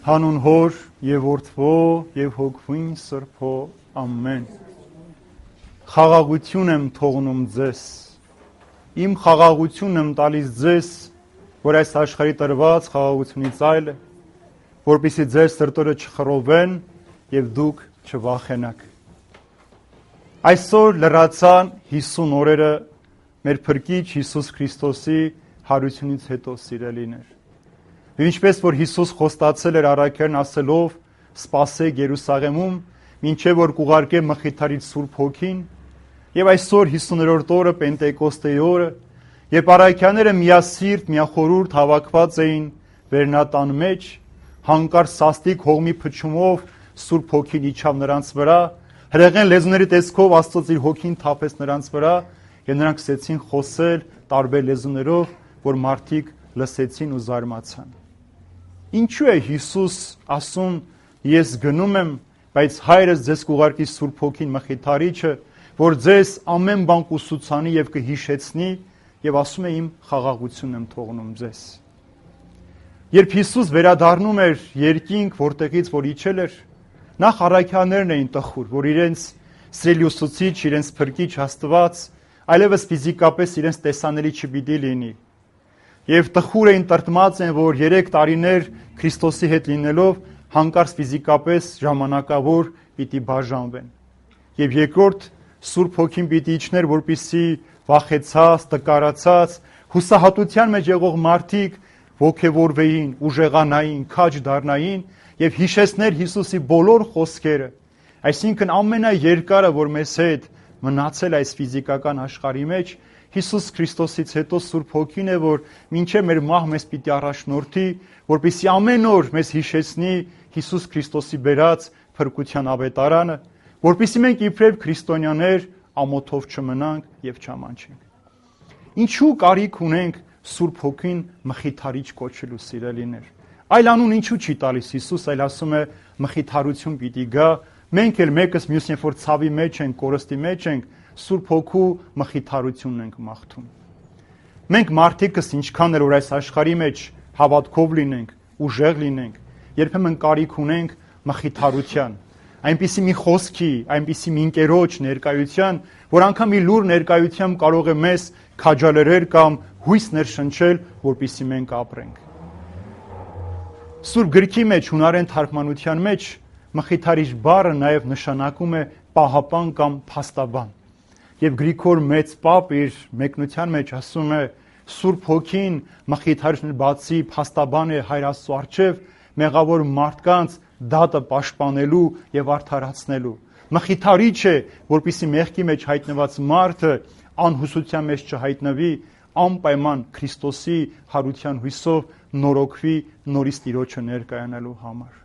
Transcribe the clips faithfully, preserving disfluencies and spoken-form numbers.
Հանուն Հոր եւ Որդվո եւ Հոգվին Սրբո ամեն։ Խաղաղություն եմ թողնում ձեզ։ Իմ խաղաղությունն եմ տալիս ձեզ, որ այս աշխարհի տրված խաղաղությունից այլ է, որպեսզի ձեր սրտերը չխռովեն եւ դուք չվախենաք։ Այսօր լրացան հիսուն օրերը մեր Փրկիչ Հիսուս Քրիստոսի հարությունից հետո, սիրելիներ։ Ինչպես որ Հիսուս խոստացել էր առաքյալն ասելով. «Սպասեք Երուսաղեմում, մինչև որ կուղարկե Մխիթարից Սուրբ Հոգին», եւ այսօր հիսուներորդ օրը Պենտեկոստեի օրը, երբ առաքյալները միասիրտ, միախորհուրդ հավաքված էին վերնատան մեջ, հանկարծ սաստիկ հողմի փչումով Սուրբ Հոգին իջավ նրանց վրա, հրեղեն լեզուների տեսքով Աստծո իր Հոգին թափեց նրանց վրա, եւ նրանք սկսեցին խոսել տարբեր լեզուներով, որ մարդիկ լսեցին ու զարմացան։ Ինչու է Հիսուս ասում. «Ես գնում եմ, բայց Հայրս ձեզ կուղարկի Սուրբ Հոգին Մխիթարիչը, որ ձեզ ամեն բան կուսուցանի եւ կհիշեցնի», եւ ասում է. «Իմ խաղաղությունն եմ թողնում ձեզ»։ Երբ Հիսուս վերադառնում էր երկինք, որտեղից որ իջել էր, նախ առաքյալներն էին տխուր, որ իրենց սիրելի ուսուցիչ, իրենց Փրկիչ Աստված այլևս ֆիզիկապես իրենց տեսանելի չպիտի լինի։ Եվ տխուր էին, տրտմած են, որ երեք տարիներ Քրիստոսի հետ լինելով հանկարծ ֆիզիկապես ժամանակավոր պիտի բաժանվեն։ Եվ երկրորդ Սուրբ Հոգին պիտի իջներ, որպեսզի վախեցած, տկարացած, հուսահատության մեջ եղող մարդիկ ոգևորվեին, ուժեղանային, քաջ դառնային եւ հիշեցներ Հիսուսի բոլոր խոսքերը։ Այսինքն ամենաերկարը, որ մեզ հետ մնացել այս ֆիզիկական աշխարհի մեջ, Հիսուս Քրիստոսից հետո Սուրբ Հոգին է, որ մինչև մեր մահ մեզ պիտի առաջնորդի, որպեսզի ամեն օր մեզ հիշեցնի Հիսուս Քրիստոսի բերած փրկության ավետարանը, որպեսզի մենք իբրև քրիստոնյաներ ամոթով չմնանք եւ չամանչենք։ Ինչու կարիք ունենք Սուրբ Հոգին Մխիթարիչ կոչելու, սիրելիներ։ Այլ անուն ինչու չի տալիս Հիսուս, այլ ասում է մխիթարություն պիտի գա, մենք էլ մեկս մյուսին որ ցավի մեջ ենք, կորստի մեջ ենք, Սուրբ Հոգու մխիթարությունն ենք մաղթում։ Մենք մարդիկս ինչքան էլ որ այս աշխարհի մեջ հավատքով լինենք, ուժեղ լինենք, երբեմն կարիք ունենք մխիթարության, այնպիսի մի խոսքի, այնպիսի մի ընկերոջ ներկայության, որ անգամ մի լուր ներկայությամբ կարող է մեզ քաջալերել կամ հույս ներշնչել, որպեսզի մենք ապրենք։ Սուրբ գրքի մեջ, հունարեն թարգմանության մեջ մխիթարիչ բառը նաև նշանակում է պահապան կամ փաստաբան։ Եվ Գրիգոր մեծ պապ իր մեկնության մեջ ասում է. Սուրբ Հոգին մխիթարիչն բացի փաստաբան է Հայր Աստծո առջև մեղավոր մարդկանց դատը պաշտպանելու եւ արդարացնելու։ Մխիթարիչ է, որպեսզի մեղքի մեջ հայտնված մարդը անհուսության մեջ չհայտնվի, անպայման Քրիստոսի հարության հույսով նորոգվի նորից Տիրոջը ներկայանալու համար։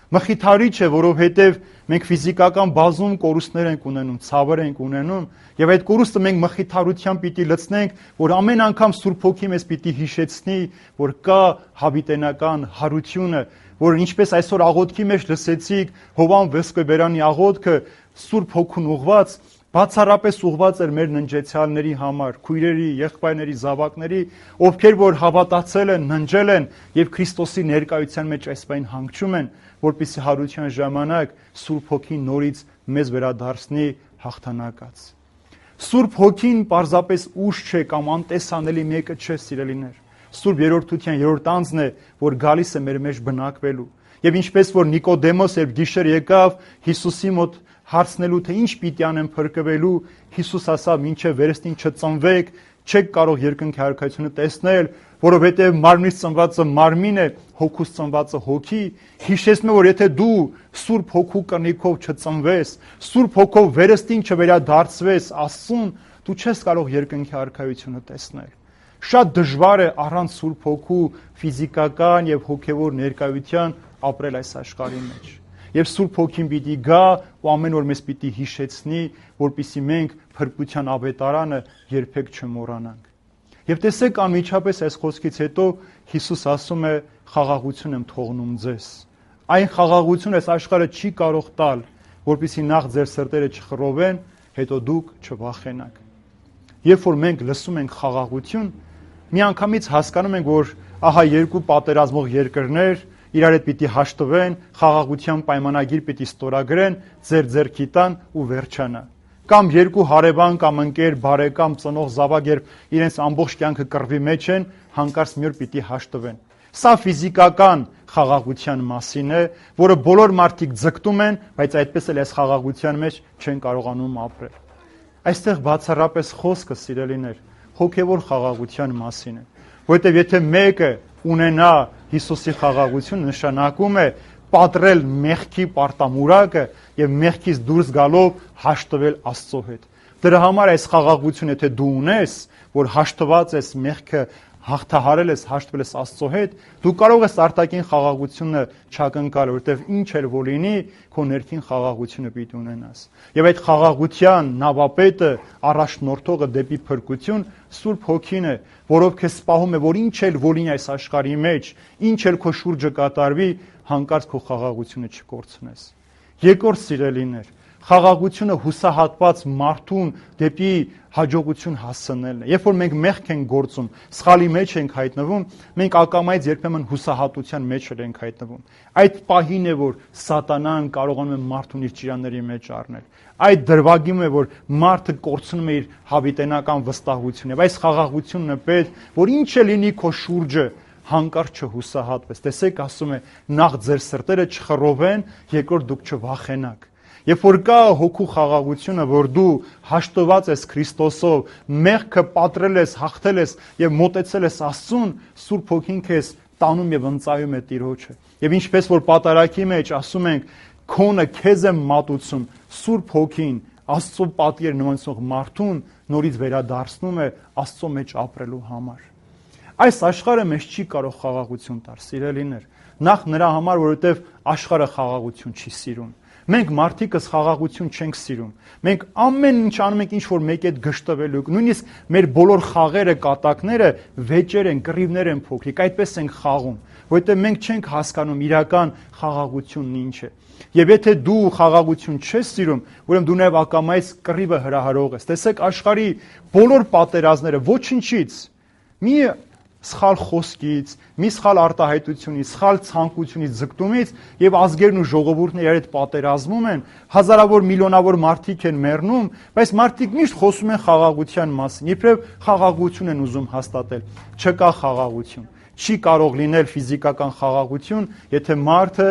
Մխիթարիչ է, որովհետև մենք ֆիզիկական բազում կորուստներ ենք ունենում, ցավեր ենք ունենում, եւ այդ կորուստը մենք մխիթարությամբ պիտի լցնենք, որ ամեն անգամ Սուրբ Հոգին մեզ պիտի հիշեցնի, որ կա հավիտենական հարությունը, որ ինչպես այսօր աղոթքի մեջ լսեցիք Հովան Վեսկոբերյանի աղոթքը Սուրբ Հոգուն ուղված, բացառապես ուղված էր մեր ննջեցյալների համար, քույրերի, եղբայրների, զավակների, ովքեր որ հավատացել են, ննջել են եւ Քրիստոսի ներկայության մեջ այսպայն հանգչում են, որպեսզի հարության ժամանակ Սուրբ Հոգին նորից մեզ վերադարձնի հաղթանակած։ Սուրբ Հոգին պարզապես ուժ չէ կամ անտեսանելի մեկը չէ, սիրելիներ։ Սուրբ երրորդության երրորդ անձն է, որ գալիս է մեր մեջ բնակվելու։ Եվ ինչպես որ Նիկոդեմոս երբ գիշեր եկավ Հիսուսի մոտ հարցնելու թե ինչ պիտի անեմ փրկվելու, Հիսուս ասավ. «Մինչև վերստին չծնվեք, չեք կարող երկնքի արքայությունը տեսնել, որովհետև մարմնից ծնվածը մարմին է, հոգուց ծնվածը հոգի»։ Հիշեցնում է, որ եթե դու Սուրբ Հոգու կնիքով չծնվես, Սուրբ Հոգով վերստին չվերադարձվես Աստծուն, դու չես կարող երկնքի արքայությունը տեսնել։ Շատ դժվար է առանց Սուրբ Հոգու ֆիզիկական եւ հոգեվոր ներկայության ապրել այս աշխարհի մեջ։ Եվ Սուրբ Հոգին պիտի գա ու ամեն օր մեզ պիտի հիշեցնի, որպեսզի մենք փրկության ավետարանը երբեք չմոռանանք։ Եվ տեսեք, անմիջապես այս խոսքից հետո Հիսուս ասում է. «Խաղաղություն եմ թողնում ձեզ»։ Այն խաղաղությունը այս աշխարհը չի կարող տալ, որպեսզի նախ ձեր սրտերը չխռովեն, հետո դուք չվախենաք։ Երբ որ մենք լսում ենք խաղաղություն, միանգամից հասկանում ենք, որ ահա երկու պատերազմող երկրներ իրար հետ պիտի հաշտվեն, խաղաղության պայմանագիր պիտի ստորագրեն, ձեր ձեռքի տան ու վերջանա։ Կամ երկու հարևան կամ ընկեր, բարեկամ, ծնող, զավակ, երբ իրենց ամբողջ կյանքը կռվի մեջ են, հանկարծ մի օր պիտի հաշտվեն։ Սա ֆիզիկական խաղաղության մասին է, որը բոլոր մարդիկ ձգտում են, բայց այդպես էլ այս խաղաղության մեջ չեն կարողանում ապրել։ Այստեղ բացառապես խոսքը, սիրելիներ, հոգևոր խաղաղության մասին է, որովհետև եթե մեկը ունենա Հիսուսի խաղաղություն, նշանակում է պատրել մեղքի պարտամուրակը եւ մեղքից դուրս գալով հաշտվել Աստծո հետ։ Դրա համար այս խաղաղությունը եթե դու ունես, որ հաշտված ես մեղքը հաղթահարել ես, հաշտվել ես Աստծո հետ, դու կարող ես արտաքին խաղաղությունը չակնկալ, որովհետև ինչ էլ որ լինի, քո ներքին խաղաղությունը պիտի ունենաս։ Եվ այդ խաղաղության նավապետը, առաջնորդողը դեպի փրկություն Սուրբ Հոգին է, որով քեզ սպահում է, որ ինչ էլ որ լինի այս աշխարհի մեջ, ինչ էլ քո շուրջը կատարվի, հանկարծ քո խաղաղությունը չկորցնես։ Երկրորդ, սիրելիներ, խաղաղությունը հուսահատված մարդուն դեպի հաջողություն հասցնելն է։ Երբ որ մենք մեղք ենք գործում, սխալի մեջ ենք հայտնվում, մենք ակամայից երբեմն հուսահատության մեջ ենք հայտնվում։ Այդ պահին է, որ սատանան կարողանում է մարդուն իր ճիրանների մեջ առնել։ Այդ դրվագում է, որ մարդը կորցնում է իր հավիտենական վստահությունը։ Եվ այս խաղաղությունն է պետք, որ ինչ է լինի քո շուրջը, հանկարծ չհուսահատվես։ Տեսեք, ասում է, նախ ձեր սրտերը չխռովեն, երկրորդ դուք չվախենաք։ Երբ որ կա հոգու խաղաղությունը, որ դու հաշտված ես Քրիստոսով, մեղքը պատրել ես, հաղթել ես եւ մոտեցել ես Աստծուն, Սուրբ Հոգին քեզ տանում եւ ընծայում է Տիրոջը։ Եվ ինչպես որ պատարագի մեջ ասում ենք, քոնը քեզ է մատուցում, Սուրբ Հոգին Աստծո պատիեր նմանեցող մարդուն նորից վերադարձնում է Աստծո մեջ ապրելու համար։ Այս աշխարհը մեզ չի կարող խաղաղություն տալ, սիրելիներ։ Նախ նրա համար, որովհետև աշխարհը խաղաղություն չի սիրում։ Մենք մարդիկս խաղաղություն չենք սիրում։ Մենք ամեն ինչ անում ենք, ինչ որ մեկի հետ գժտվելու, նույնիսկ մեր բոլոր խաղերը, կատակները վեճեր են, կռիվներ են փոքրիկ, այդպես ենք խաղում, որովհետև մենք չենք հասկանում իրական խաղաղությունն ինչ է։ Եվ եթե դու խաղաղություն չես սիրում, ուրեմն դու նաև ակամայից կռիվը հրահարող ես։ Տեսեք, աշխարհի բոլոր պատերազմները ոչնչից մի սխալ խոսքից, մի սխալ արտահայտությունից, սխալ ցանկությունից, ձգտումից եւ ազգերն ու ժողովուրդները իրար հետ պատերազմում են, հազարավոր միլիոնավոր մարդիկ են մեռնում, բայց մարդիկ միշտ խոսում են խաղաղության մասին, իբրև խաղաղություն են ուզում հաստատել։ Չկա խաղաղություն։ Չի կարող լինել ֆիզիկական խաղաղություն, եթե մարդը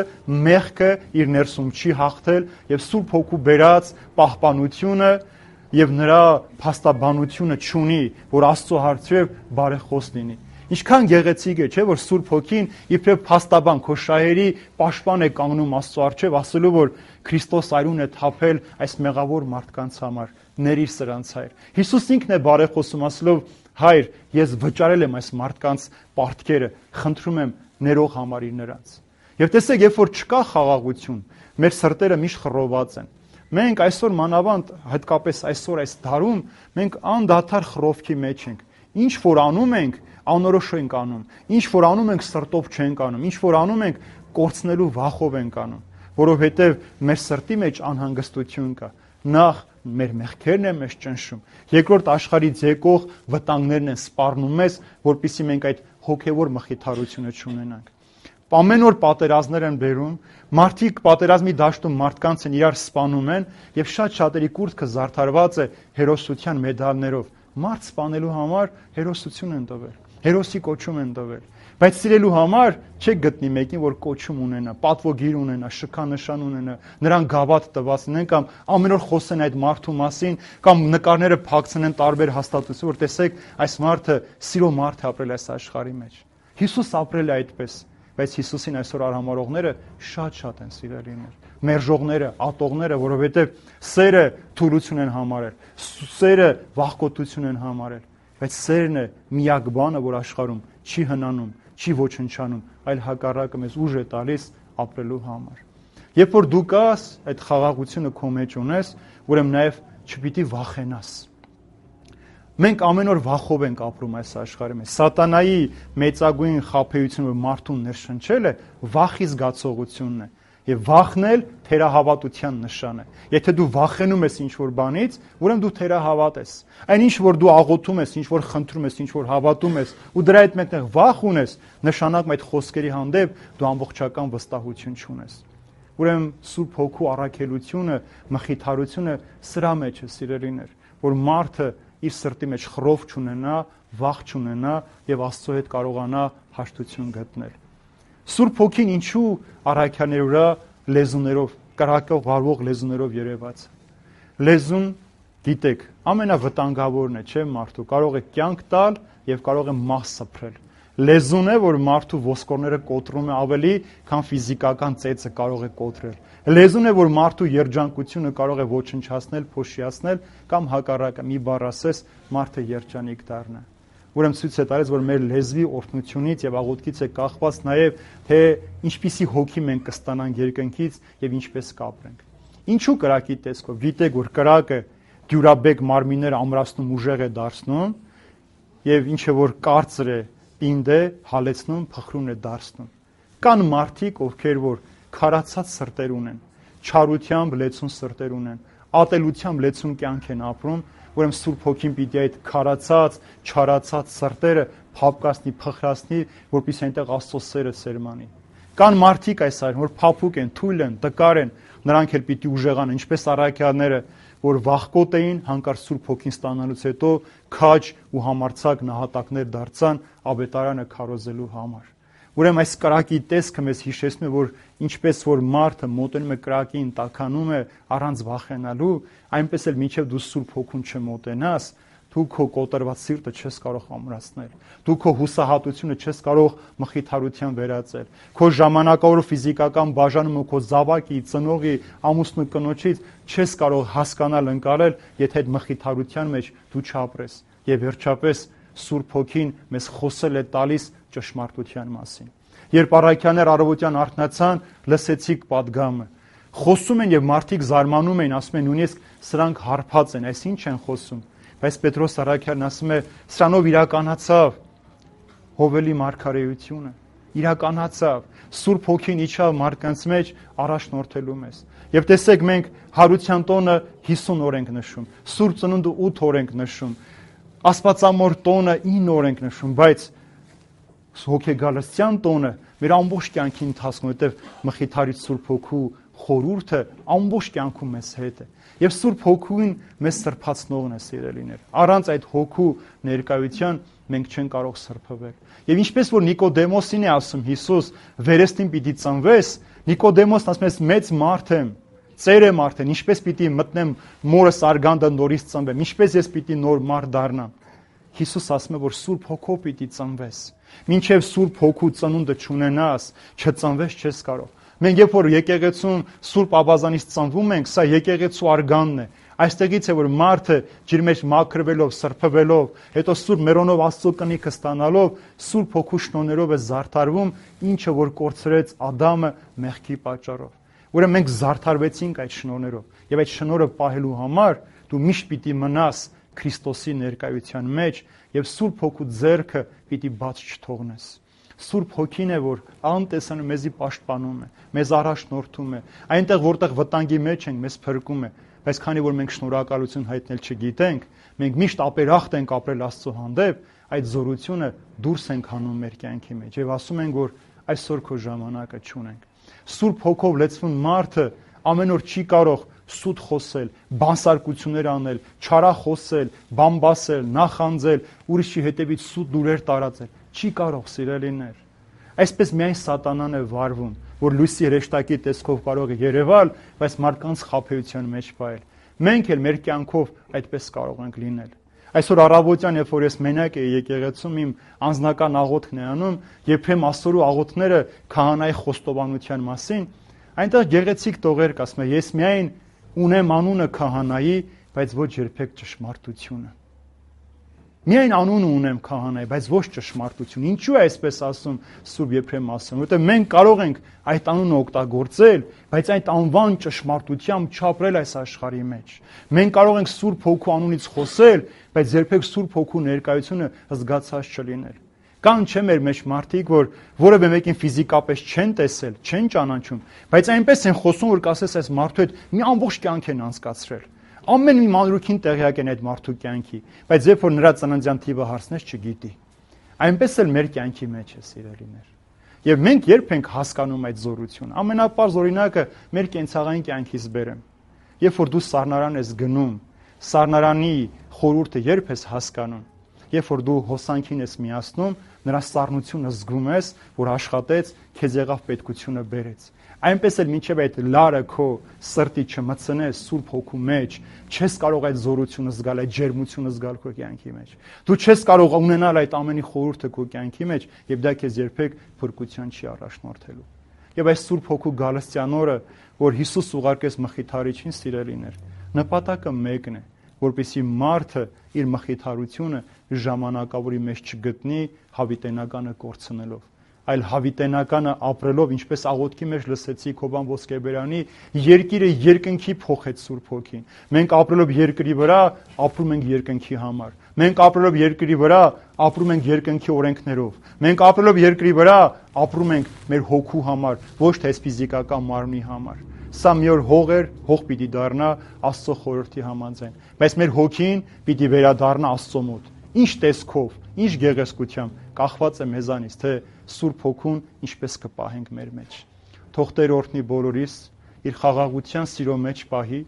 մեղքը իր ներսում չի հաղթել եւ Սուրբ Հոգու բերած պահպանությունը եւ նրա փաստաբանությունը չունի, որ Աստծո հարցով բարեխոս լինի։ Ինչքան գեղեցիկ է, չէ՞, որ Սուրբ Հոգին իբրև փաստաբան քո շահերի պաշտպան է կանգնում Աստծո առջև, ասելու որ Քրիստոս այրուն է թափել այս մեղավոր մարդկանց համար, ներիր սրանց հայր։ Հիսուս ինքն է բարեխոսում, ասելով. Հայր, ես վճարել եմ այս մարդկանց պարտքերը, խնդրում եմ ներող համարիր նրանց։ Եվ տեսեք, երբ որ չկա խաղաղություն, մեր սրտերը միշտ խռոված են։ Մենք այսօր մանավանդ, հատկապես այսօր այս դարում, մենք անդադար խռովքի մեջ ենք։ Ինչ որ անում ենք, անորոշ ենք անում։ Ինչ որ անում ենք, սրտով չենք անում։ Ինչ որ անում ենք, կորցնելու վախով ենք անում, որովհետև մեր սրտի մեջ անհանգստություն կա։ Նախ մեր մեղքերն են մեզ ճնշում, երկրորդ աշխարհից եկող վտանգներն են սպառնում մեզ, որպեսզի մենք այդ հոգևոր մխիթարությունը չունենանք։ Ամեն օր պատերազմներ են բերում, մարդիկ պատերազմի դաշտում մարդկանց են իրար սպանում են եւ շատ շատերի կուրծքը զարդարված է հերոսության մեդալներով։ Մարդ սպանելու համար հերոսություն են տվել, հերոսի կոչում են տվել, բայց սիրելու համար չեք գտնի մեկին, որ կոչում ունենա, պատվոգիր ունենա, շքանշան ունենա, նրան գավաթ տված լինեն կամ ամեն օր խոսեն այդ մարդու մասին կամ նկարները փակցնեն տարբեր հաստատություն, որ տեսեք, այս մարդը սիրո մարդ է ապրել այս աշխարհի մեջ։ Հիսուս ապրել է այդպես, բայց Հիսուսին այսօր արհամարողները շատ-շատ են սիրելիներ, մերժողները, ատողները, որովհետև սերը թուլություն են համարել, սերը վախկոտություն են համարել, բայց սերն է միակ բանը, որ աշխարհում չի հնանում, չի ոչնչանում, այլ հակառակը մեզ ուժ է տալիս ապրելու համար։ Երբ որ դու կաս, այդ խաղաղությունը քո մեջ ունես, ուրեմն նաև չպիտի վախենաս։ Մենք ամեն օր վախով ենք ապրում այս աշխարհի մեջ։ Սատանայի մեծագույն խաբեությունը մարդուն ներշնչել է վախի զգացողությունն է։ Եվ վախնել թերահավատության նշան է։ Եթե դու վախենում ես ինչ-որ բանից, ուրեմն դու թերահավատ ես։ Այն ինչ որ դու աղոթում ես, ինչ որ խնդրում ես, ինչ որ հավատում ես, ու դրա հետ մեկտեղ վախ ունես, նշանակում այդ խոսքերի հանդեպ դու ամբողջական վստահություն չունես։ Ուրեմն Սուրբ Հոգու առաքելությունը, մխիթարությունը սրա մեջ է, սիրելիներ, որ մարդը իր սրտի մեջ խռով չունենա, վախ չունենա եւ Աստծո հետ կարողանա հաշտություն գտնել։ Սուրբ Հոգին ինչու առաքյաների վրա լեզուներով, կրակով վարվող լեզուներով երևաց։ Լեզուն, գիտեք, ամենավտանգավորն է, չէ՞, մարդու, կարող է կյանք տալ եւ կարող է մահ սփռել։ Լեզուն է, որ մարդու ոսկորները կոտրում է ավելի, քան ֆիզիկական ծեծը կարող է կոտրել։ Լեզուն է, որ մարդու երջանկությունը կարող է ոչնչացնել, փոշիացնել կամ հակառակը մի բառ ասես, մարդը երջանիկ դառնա։ Ուրեմն ցույց է տալիս, որ մեր լեզվի օրհնությունից եւ աղոթքից է կախված նաեւ, թե ինչպիսի հոգի մենք կստանանք երկնքից եւ ինչպես կապրենք։ Ինչու կրակի տեսքով։ Գիտեք, որ կրակը դյուրաբեկ մարմինները ամրացնում, ուժեղ է դարձնում եւ ինչը որ կարծր է, պինդ է, հալեցնում, փխրուն է դարձնում։ Կան մարդիկ, ովքեր որ քարացած սրտեր ունեն, չարությամբ լեցուն սրտեր ունեն, ատելությամբ լեցուն կյանք են ապրում, ուրեմն Սուրբ Հոգին պիտի այդ քարացած, չարացած սրտերը փափկացնի, փխրացնի, որպեսզի այնտեղ Աստծո սերը սերմանի։ Կան մարդիկ այս այր, որ փափուկ են, թույլ են, տկար են, նրանք էլ պիտի ուժեղանան, ինչպես առաքյալները, որ վախկոտ էին, հանկարծ Սուրբ Հոգին ստանալուց հետո քաջ ու համարձակ նահատակներ դարձան ավետարանը քարոզելու համար։ Ուրեմն այս կրակի տեսքը մեզ հիշեցնում է, որ ինչպես որ մարդը մոտենում է կրակին, տաքանում է առանց վախենալու, այնպես էլ մինչև դու Սուրբ Հոգուն չմոտենաս, դու քո կոտրված սիրտը չես կարող ամրացնել։ Դու քո հուսահատությունը չես կարող մխիթարության վերածել։ Քո ժամանակավոր ֆիզիկական բաժանումը քո զավակի, ծնողի, ամուսնու կնոջից չես կարող հասկանալ, ընկալել, եթե այդ մխիթարության մեջ դու չապրես։ Եվ վերջապես Սուրբ Հոգին մեզ խոսել է տալիս ճշմարտության մասին։ Երբ առաքյաներ առավոտյան արթնացան, լսեցիք պատգամը։ Խոսում են եւ մարդիկ զարմանում են, ասում են նույնիսկ սրանք հարբած են, այս ինչ են խոսում։ Բայց Պետրոս առաքյալն ասում է, սրանով իրականացավ Հովելի մարգարեությունը, իրականացավ, Սուրբ Հոգին իջավ մարդկանց մեջ առաջնորդելու մեզ։ Եվ տեսեք, մենք հարության տոնը հիսուն օր ենք նշում, Սուրբ Ծնունդը ութ օր ենք նշում, Աստվածամոր տոնը ինը օր ենք նշում, բայց հոգեգալստյան տոնը մեր ամբողջ կյանքի ընթացքում, որտեղ մխիթարիչ Սուրբ Հոգու խորհուրդը ամբողջ կյանքում մեզ հետ է։ Եվ Սուրբ Հոգին մեզ սրբացնողն է, սիրելիներ։ Առանց այդ Հոգու ներկայության մենք չենք կարող սրբվել։ Եվ ինչպես որ Նիկոդեմոսին է ասում Հիսուս, վերստին պիտի ծնվես, Նիկոդեմոսն ասում է, մեծ մարդ եմ, ծեր եմ արդեն, ինչպես պիտի մտնեմ մորս արգանդը նորից ծնվեմ, ինչպես ես պիտի նոր մարդ դառնամ։ Հիսուս ասում է, որ Սուրբ Հոգով պիտի ծնվես։ Մինչև Սուրբ Հոգու ծնունդը չունենաս, չծնվես չես կարող։ Մենք երբ որ եկեղեցում Սուրբ Աբազանից ծնվում ենք, սա եկեղեցու արգանն է։ Այստեղից է որ մարդը ջրի մեջ մաքրվելով, սրբվելով, հետո Սուրբ Մերոնով Աստծո կնիքը ստանալով, Սուրբ Հոգու շնորհներով է զարդարվում, ինչը որ կորցրեց Ադամը մեղքի պատճառով։ Ուրեմն մենք զարդարվեցինք այդ շնորհներով, եւ այդ շնորհը պահելու համար դու միշտ պիտի մնաս Քրիստոսի ներկայության մեջ եւ Սուրբ Հոգու ձեռքը պիտի բաց չթողնես։ Սուրբ Հոգին է, որ անտեսանում մեզի պաշտպանում է, մեզ առաջնորդում է, այնտեղ որտեղ վտանգի մեջ ենք, մեզ փրկում է, բայց քանի որ մենք շնորհակալություն հայտնել չգիտենք, մենք միշտ ապերախտ ենք ապրել Աստծո հանդեպ, այդ զորությունը դուրս ենք հանում մեր կյանքի մեջ եւ ասում ենք, որ այսօր քո ժամանակը չունենք։ Սուրբ Հոգով լեցվում մարդը ամեն օր չի կարող սուտ խոսել, բանսարկություններ անել, չարախոսել, բամբասել, նախանձել, ուրիշի հետևից սուտ լուրեր տարածել։ Չի կարող, սիրելիներ։ Այսպես միայն սատանան է վարվում, որ լույսի հրեշտակի տեսքով կարող է երևալ, բայց մարդկանց խաբեության մեջ պահել։ Մենք էլ մեր կյանքով այդպես կարող ենք լինել։ Այսօր առավոտյան, երբ որ ես մենակ էի եկեղեցում, իմ անձնական աղոթքն է անում, երբեմն աստորու աղոթքները քահանայի խոստովանության մասին, այնտեղ գեղեցիկ տողեր կա, ասում է, ես միայն ունեմ անունը քահանայի, բայց ոչ երբեք ճշմարտությունը։ Միայն անունը ունեմ քահանայի, բայց ոչ ճշմարտություն։ Ինչու է այսպես ասում Սուրբ Եփրեմ ասում, որտեղ մենք կարող ենք այդ անունը օգտագործել, բայց այդ անվան ճշմարտությամբ չապրել այս աշխարհի մեջ։ Մենք կարող ենք Սուրբ Հոգու անունից խոսել, բայց երբեք Սուրբ Հոգու ներկայությունը զգացած չլինել։ Կան չէ մեր մեջ մարդիկ, որ որևէ մեկին ֆիզիկապես չեն տեսել, չեն ճանաչում, բայց այնպես են խոսում, որ կասես այս մարդու հետ մի ամբողջ կյանք են անցկացրել։ Ամեն մի մանրուքին տեղյակ են այդ մարդու կյանքի, բայց երբ որ նրա ծննդյան թիվը հարցնես, չգիտի։ Այնպես էլ մեր կյանքի մեջ է, սիրելիներ։ Եվ մենք երբ ենք հասկանում այդ զորությունը։ Ամենապարզ օրինակը մեր կենցաղային կյանքից բերեմ։ Երբ որ դու սառնարան ես գնում, սառնարանի խորհուրդը երբ ես հասկանում, երբ որ դու հոսանքին ես միացնում, նրա սառնությունը զգում ես, որ աշխատեց, քեզ եղավ պետքությունը բերեց։ Այնպես էլ մինչև այդ լարը քո սրտի չմցնես Սուրբ Հոգու մեջ, չես կարող այդ զորությունը զգալ, այդ ջերմությունը զգալ քո կյանքի մեջ։ Դու չես կարող ունենալ այդ ամենի խորհուրդը քո կյանքի մեջ, եւ դա քեզ երբեք փրկության չի առաջնորդելու։ Եվ այս Սուրբ Հոգու գալստյան օրը, որ Հիսուս ուղարկեց Մխիթարիչին, սիրելիներ, նպատակը մեկն է, որպեսզի մարդը իր մխիթարությունը ժամանակավորի մեջ չգտնի հավիտենականը կորցնելով, այլ հավիտենականը ապրելով, ինչպես աղոթքի մեջ լսեցիք Հովան Ոսկեբերյանի, երկիրը երկնքի փոխեց Սուրբ Հոգին։ Մենք ապրելով երկրի վրա, ապրում ենք երկնքի համար։ Մենք ապրելով երկրի վրա, ապրում ենք երկնքի օրենքներով։ Մենք ապրելով երկրի վրա, ապրում ենք մեր հոգու համար, ոչ թե այս ֆիզիկական մարմնի համար։ Սա մի օր հող էր, հող պիտի դառնա Աստծո խորհրդի համաձայն, բայց մեր հոգին պիտի վերադառնա Աստծո մոտ։ Ինչ տեսքով, ինչ գեղեցկությամբ կախված է մեզանից, թե Սուրբ Հոգուն ինչպես կպահենք մեր մեջ։ Թող Տեր օրհնի բոլորիս, իր խաղաղության սիրո մեջ պահի,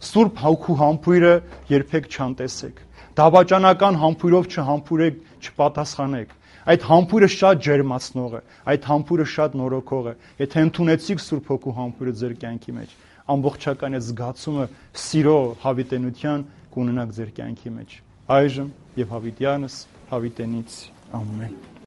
Սուրբ Հոգու համբույրը երբեք չանտեսեք։ Դավաճանական համբույրով չհամբուրեք, չպատասխանեք։ Այդ համբույրը շատ ջերմացնող է, այդ համբույրը շատ նորոգող է։ Եթե ընդունեցիք Սուրբ Հոգու համբույրը ձեր կյանքի մեջ, ամբողջական այդ զգացումը սիրո հավիտենության կունենաք ձեր կյանքի մեջ։ Այժմ եւ հավիտյանս հավիտենից ամեն։